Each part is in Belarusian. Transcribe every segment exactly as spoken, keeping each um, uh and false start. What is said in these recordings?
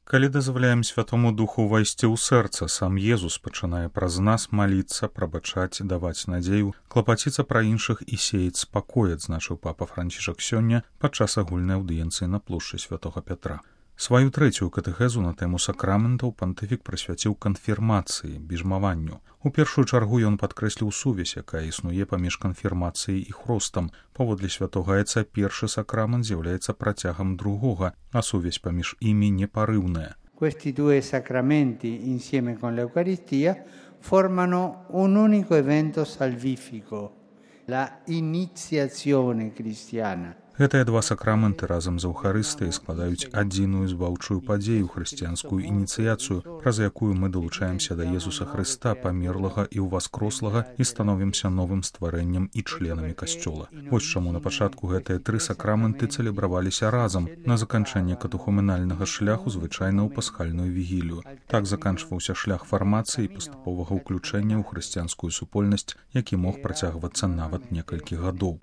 Калі дазваляем Святому Духу ўвайсці ў сэрца, сам Езус пачынае праз нас маліцца, прабачаць, даваць надзею, клапаціцца пра іншых і сеяць спакой, адзначыў папа Францішак сёння падчас агульнай аўдыенцыі на плошчы Святога Пятра. Сваю трэцюю катэхезу на тэму сакраментаў пантыфік прысвяціў канфірмацыі, біжмаванню. У першую чаргу ён падкрэсліў сувязь, якая існуе паміж канфірмацыяй і хростам. Паводле святога Айца першы сакрамент з'яўляецца працягам другога, а сувязь паміж імі непарыўная. Questi due sacramenti, insieme con l'Eucaristia, formano un unico evento salvifico, la iniziazione cristiana. Гэтыя два сакраменты разам з Эўхарыстыяй складаюць адзіную збаўчую падзею, хрысціянскую ініцыяцыю, праз якую мы далучаемся да Езуса Хрыста, памерлага і ўваскрослага, і становімся новым стварэннем і членамі касцёла. Вось чаму на пачатку гэтыя тры сакраменты цэлебраваліся разам, на заканчэнне катухуменальнага шляху, звычайна ў пасхальную вігілію. Так заканчваўся шлях фармацыі і паступовага ўключэння ў хрысціянскую супольнасць, які мог працягвацца нават некалькі гадоў.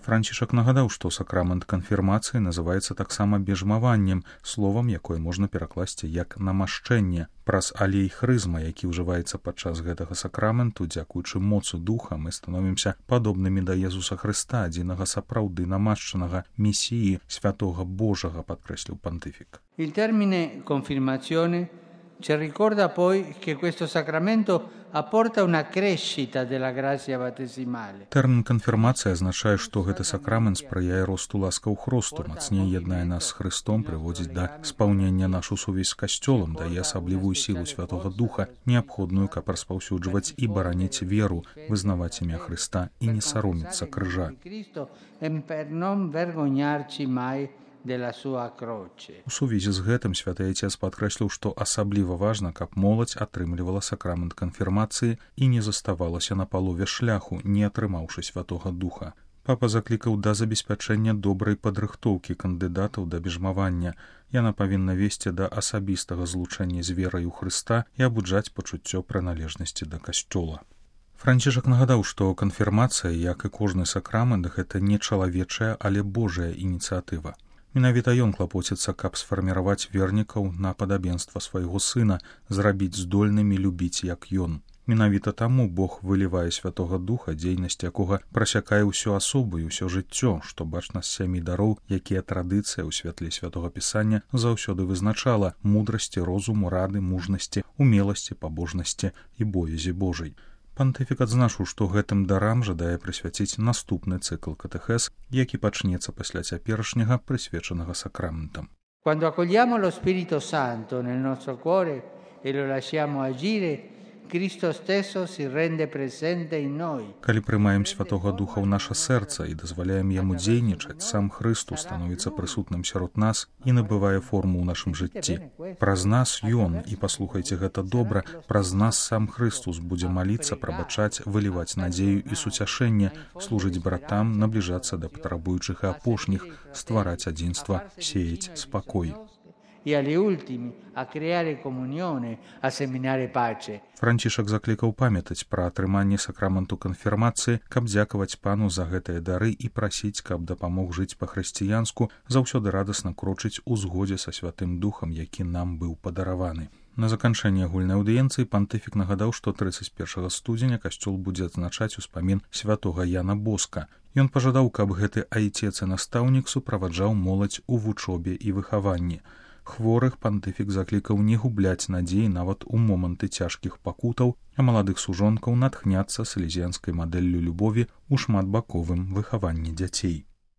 Францішак нагадаў, што сакрамент канфірмацыі называецца таксама біжмаваннем, словам, якое можна перакласці як намашчэнне. Праз алей хрызма, які ўжываецца падчас гэтага сакраменту, дзякуючы моцу духа, мы становімся падобнымі да Езуса Хрыста, адзінага сапраўды намашчанага месіі, святога Божага, падкрэсліў пантыфік. Il termine confermazione ci ricorda poi che questo sacramento apporta una crescita della grazia battesimale. Тэрмін канфірмацыя азначае, што гэты сакрамент спрыяе росту ласкаў хросту, мацней яднае нас з Хрыстом, прыводзіць да спаўнення нашу сувязь з касцёлам, дае асаблівую сілу Святога Духа, неабходную, каб распаўсюджваць і бараніць веру, вызнаваць імя Хрыста і не саромецца крыжа. У сувязі з гэтым святы Айцец падкрэсліў, што асабліва важна, каб моладзь атрымлівала сакрамент канфірмацыі і не заставалася на палове шляху, не атрымаўшы Святога Духа. Папа заклікаў да забеспячэння добрай падрыхтоўкі кандыдатаў да біжмавання. Яна павінна весці да асабістага злучэння з верай у Хрыста і абуджаць пачуццё прыналежнасці да касцёла. Францішак нагадаў, што канфірмацыя, як і кожны сакрамент, гэта не чалавечая, але Божая ініцыятыва. Менавіта ён клапоціцца, каб сфарміраваць вернікаў на падабенства свайго сына, зрабіць здольнымі любіць, як ён. Менавіта таму Бог вылівае Святога Духа, дзейнасць якога прасякае ўсю асобу і ўсё жыццё, што бачна з сямі дароў, якія традыцыя ў святле Святога Пісання заўсёды вызначала: мудрасці, розуму, рады, мужнасці, умеласці, пабожнасці і боязі Божай. Пантыфік адзначыў, што гэтым дарам жадае прысвяціць наступны цыкл катэхез, які пачнецца пасля цяперашняга, прысвечанага сакраментам. Quando accogliamo lo Spirito Santo nel nostro cuore e lo lasciamo agire, Cristo stesso si rende presente in noi. Калі прымаем Святога Духа ў наша сэрца і дазваляем яму дзейнічаць, сам Хрыстус становіцца прысутным сярод нас і набывае форму ў нашым жыцці. Праз нас ён, і паслухайце гэта добра, праз нас сам Хрыстус будзе маліцца, прабачаць, выліваць надзею і суцяшэнне, служыць братам, набліжацца да патрабуючых і апошніх, ствараць адзінства, сеяць спакой. И agli ultimi a creare comunione, a seminare pace. Францішак заклікаў памятаць пра атрыманне сакраменту канфірмацыі, каб дзякаваць Пану за гэтыя дары і прасіць, каб дапамог жыць па-хрысціянску, заўсёды радасна крочыць у згодзе са Святым Духам, які нам быў падараваны. На заканчэнне агульнай аўдыенцыі пантыфік нагадаў, што трыццаць першага студзеня касцёл будзе адзначаць успамін святога Яна Боска. Ён пажадаў, каб гэты айцец і настаўнік суправаджаў моладзь у вучобе і выхаванні. Хворых пантыфік заклікаў не губляць надзеі нават у моманты цяжкіх пакутаў, а маладых сужонкаў натхняцца салезіянскай мадэллю любові ў шматбаковым выхаванні дзяцей.